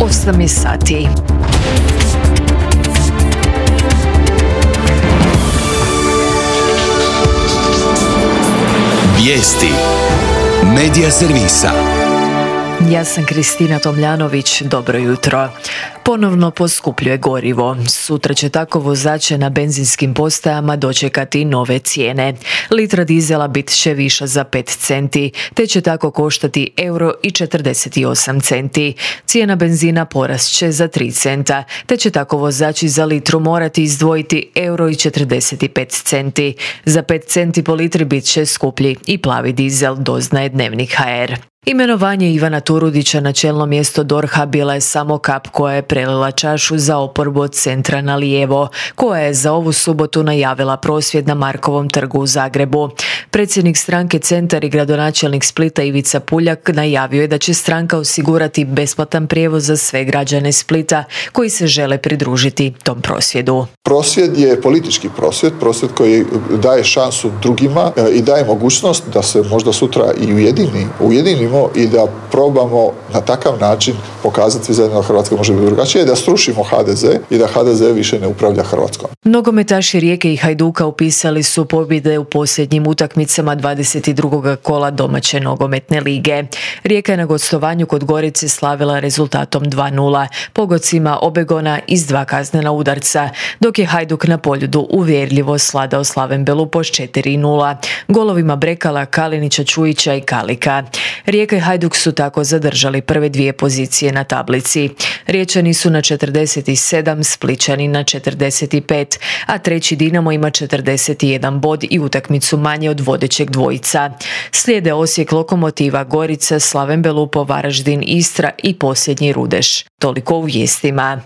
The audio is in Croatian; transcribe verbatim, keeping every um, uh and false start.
osam je sati. Vijesti Medija servisa. Ja sam Kristina Tomljanović, dobro jutro. Ponovno poskupljuje gorivo. Sutra će tako vozače na benzinskim postajama dočekati nove cijene. Litra dizela bit će viša za pet centi, te će tako koštati euro i četrdeset osam centi. Cijena benzina porast će za tri centa, te će tako vozači za litru morati izdvojiti euro i četrdeset pet centi. Za pet centi po litri bit će skuplji i plavi dizel, doznaje Dnevnik ha er. Imenovanje Ivana Turudića na čelno mjesto D O R H-a bila je samo kap koja je prelila čašu za oporbu od centra na lijevo, koja je za ovu subotu najavila prosvjed na Markovom trgu u Zagrebu. Predsjednik stranke Centar i gradonačelnik Splita Ivica Puljak najavio je da će stranka osigurati besplatan prijevoz za sve građane Splita koji se žele pridružiti tom prosvjedu. Prosvjed je politički prosvjed, prosvjed koji daje šansu drugima i daje mogućnost da se možda sutra i ujedini, ujedinimo i da probamo na takav način pokazati zajedno da Hrvatska može biti drugačije, da srušimo ha de ze i da ha de ze više ne upravlja Hrvatskom. Nogometaši Rijeke i Hajduka upisali su pobjede u posljednjim utakmicama dvadeset drugog kola domaće nogometne lige. Rijeka je na gostovanju kod Gorice slavila rezultatom dva nula, pogodcima Obegona iz dva kaznena udarca, dok je Hajduk na Poljudu uvjerljivo sladao Slaven Belupo s četiri nula, golovima Brekala, Kalinića, Čujića i Kalika. Rijeka i Hajduk su tako zadržali prve dvije pozicije na tablici. Riječani su na četrdeset sedam, Splićani na četrdeset pet, a treći Dinamo ima četrdeset jedan bod i utakmicu manje od vodećeg dvojica. Slijede Osijek, Lokomotiva, Gorica, Slaven Belupo, Varaždin, Istra i posljednji Rudeš. Toliko u vijestima.